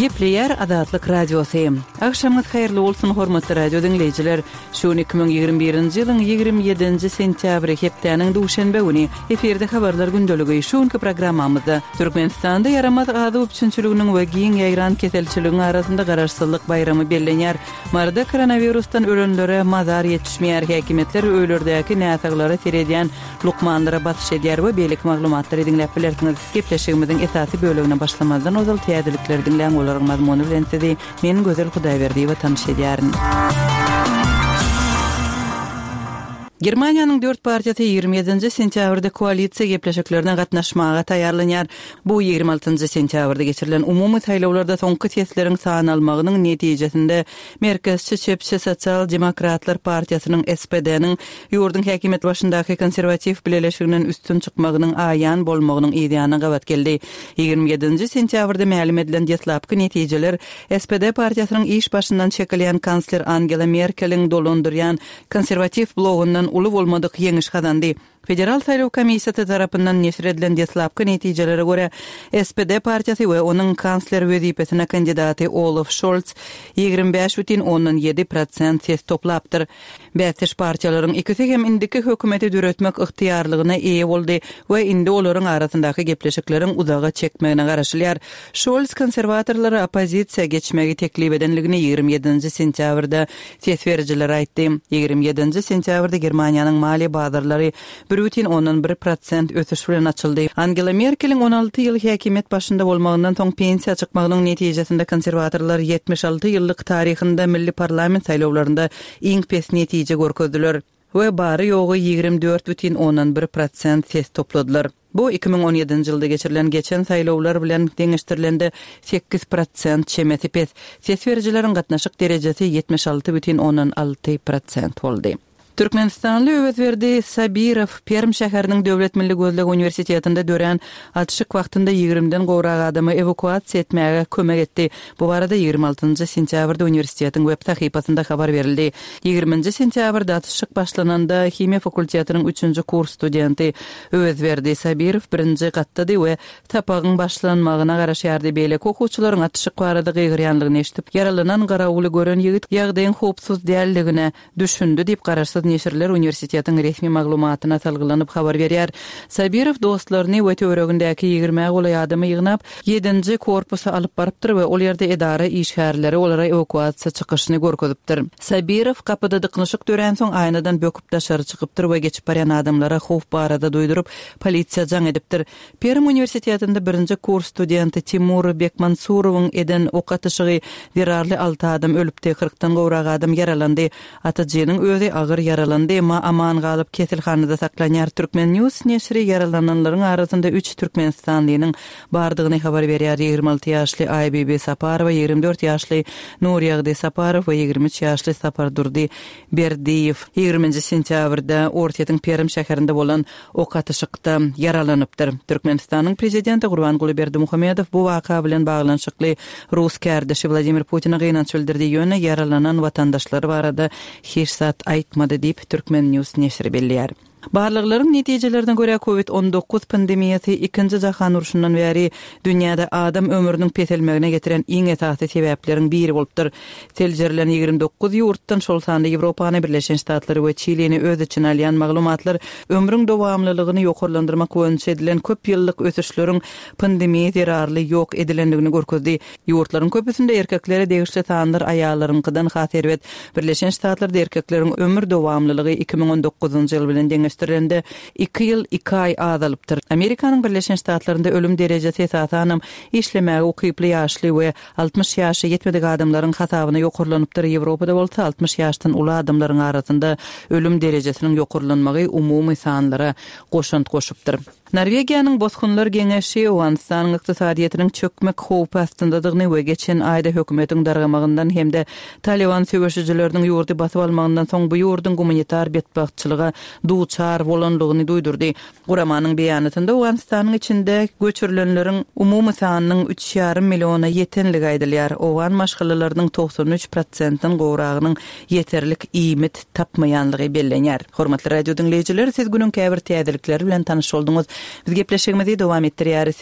Gepleýär Azatlyk Radiosy. Agşamyňyz haýyrly bolsun, hormatly radio diňleýjiler! Şu gün 2021-nji ýylyň 27-nji sentýabry, hepdäniň duşenbe güni. Efirde Habarlar gündeligi. Şu günki programmamyzda Türkmenistanda ýaramaz azyk üpjünçiliginiň we giň ýaýran keselçiligiň arasynda Garaşsyzlyk baýramy bellenýär. Maryda koronawirusdan ölenlere mazar ýetişmeýär, häkimiýetler öýlerdäki näsaglara seredýän lukmanlara basyş edýär we beýleki maglumatlary diňläp bilersiňiz. Gepleşigimiziň esasy bölegine başlamazdan ozal täzelikleri diňläň, olaryň mazmuny bilen sizi men Gözel Hudaýberdiýewa tanyş edýärin. Germaniýanyň dört partiýasy 27-nji sentýabrda koalisiýa gepleşiklerine gatnaşmaga taýýarlanýar. Bu 26-njy sentýabrda geçirilen umumy saýlawlarda soňky sesleriň sanalmagynyň netijesinde merkezçi çepçi Sosial demokratlar partiýasynyň, SPD-niň, ýurduň häkimiýet başyndaky konserwatiw bileleşiginden üstün çykmagynyň aýan bolmagynyň yzýanyna gabat geldi. 27-nji sentýabrda mälim edilen deslapky netijeler SPD partiýasynyň iş başyndan çekilýän kansler Angela Merkeliň dolandyrýan konserwatiw blogyndan uly bolmadyk ýeňiş gazandy. Federal saýlaw komissiýasy tarapyndan neşir edilen deslapky netijelere görä, SPD partiýasy we onuň kansler wezipesine kandidaty Olaf Şolz 25 bütin ondan 7 prosent ses toplapdyr. Bäsdeş partiýalaryň ikisi hem indiki hökümeti döretmek ygtyýarlygyna eýe boldy we indi olaryň arasyndaky gepleşikleriň uzaga çekmegine garaşylýar. Şolz konserwatorlara oppozisiýa geçmegi teklip edenligini 27-nji sentýabrda ses berijilere aýtdy. 27-nji sentýabrda Germaniýanyň maliýe bazarlary 1,1 prosent ösüş bilen açyldy. Angela Merkeliň 16 ýyl häkimiýet başynda bolmagyndan soň pensiýa çykmagynyň netijesinde konserwatorlar 76 ýyllyk taryhynda milli parlament saýlawlarynda iň pes netije görkezdiler we bary-ýogy 24,1 prosent ses topladylar. Bu 2017-nji ýylda geçirilen geçen saýlawlar bilen deňeşdirilende 8 prosent çemesi pes. Ses berijileriň gatnaşyk derejesi 76,6 prosent boldy. Türkmenistanly Öwezberdi Sabirow Perm şäheriniň Döwlet milli gözleg uniwersitetinde dörän atyşyk wagtynda ýigrimden gowrak adamy ewakuasiýa etmäge kömek etdi. Bu barada 26-njy sentýabrda uniwersitetiň web sahypasynda habar berildi. Ýigriminji sentýabrda atyşyk başlananda himiýa fakultetiniň üçünji kurs studenti Öwezberdi Sabirow birinji gatdady we sapagyň başlanmagyna garaşýardy. Beýleki okuwçylaryň atyşyk barada gygyrýanlygyny eşidip, ýaralanan garawuly gören ýigit ýagdaýyň howpsuz däldigine düşündi diýip, garaşsyz neşirler uniwersitetiň resmi maglumatyna salgylanyp habar berýär. Sabirow dostlaryny we töweregindäki ýigrimä golaý adamy ýygnap, ýedinji korpusa alyp barypdyr we ol ýerde edara işgärleri olara ewakuasiýa çykyşyny görkezipdir. Sabirow gapyda dyknyşyk döränsoň aýnadan böküp daşary çykypdyr we geçip barýan adamlara howp barada duýduryp, polisiýa jaň edipdir. Perm uniwersitetinde birinji kurs studenti Timur Bekmansurowyň eden ok atyşygy zerarly alty adam ölüpdi, kyrkdan gowrak adam ýaralandy. Atyjynyň özi agyr ýaralandy, emma aman galyp, keselhanada saklanýar. Turkmen. News neşiri ýaralananlaryň arasynda üç türkmenistanlynyň bardygyny habar berýär, 26 ýaşly Aýbibi Saparowa, 24 ýaşly Nurýagdy Saparow we 23 ýaşly Sapardurdy Berdiýew. Ýigriminji sentýabrda Orsýetiň Perm şäherinde bolan ok atyşykda ýaralanypdyr. Türkmenistanyň Prezidenti Gurbanguly Berdimuhamedow bu waka bilen baglanyşykly rus kärdeşi Wladimir Putine gynanç bildirdi, ýöne ýaralanan watandaşlary barada hiç zat aýtmady diýip, Turkmen. News neşiri belleýär. Barlaglaryň netijelerine görä, Covid 19 pandemiýasy Ikinji jahan urşundan bäri dünýäde adam ömrüniň peselmegine getiren iň esasy sebäpleriň biri bolupdyr. Seljerilen 29 ýurtdan, şol sanda Ýewropany, Birleşen Ştatlary we Çilini öz içine alýan maglumatlar ömrüň dowamlylygyny ýokarlandyrmak boýunça edilen köp ýyllyk ösüşleriň pandemiýa zerarly ýok edilendigini görkezdi. Ýurtlaryň köpüsinde erkeklere degişli sanlar aýallaryňkydan has erbet. Birleşen Ştatlarda erkekleriň ömür dowamlylygy 2019-njy ýyl bilen deňeşdirilende iki ýyl iki aý azalypdyr. Amerikanyň Birleşen Ştatlarynda ölüm derejesi esasanam işlemäge ukyply ýaşly we 60 ýaşa ýetmedik adamlaryň hasabyna ýokarlanypdyr, Ýewropada bolsa 60 ýaşdan uly adamlaryň arasynda ölüm derejesiniň ýokarlanmagy umumy sanlara goşant goşupdyr. Norwegiýanyň Bosgunlar geňeşi Owganystanyň ykdysadyýetiniň çökmek howpy astyndadygyny we geçen aýda hökümetiň dargamagyndan hem-de Talyban söweşijileriniň ýurdy basyp almagyndan soň bu ýurduň gumanitar betbagtçylyga duçar bolanlygyny duýdurdy. Guramanyň beýanatynda Owganystanyň içinde göçürilenleriň umumy sanynyň üç ýarym milliona ýetenligi aýdylýar. Owgan maşgalalarynyň 93 prosentden gowragynyň ýeterlik iýmit tapmaýanlygy bellenýär. Hormatly radio diňleýjiler, siz günüň käbir täzelikleri bilen tanyş bolduňyz. Biz gepleşigimizi dowam etdirýäris.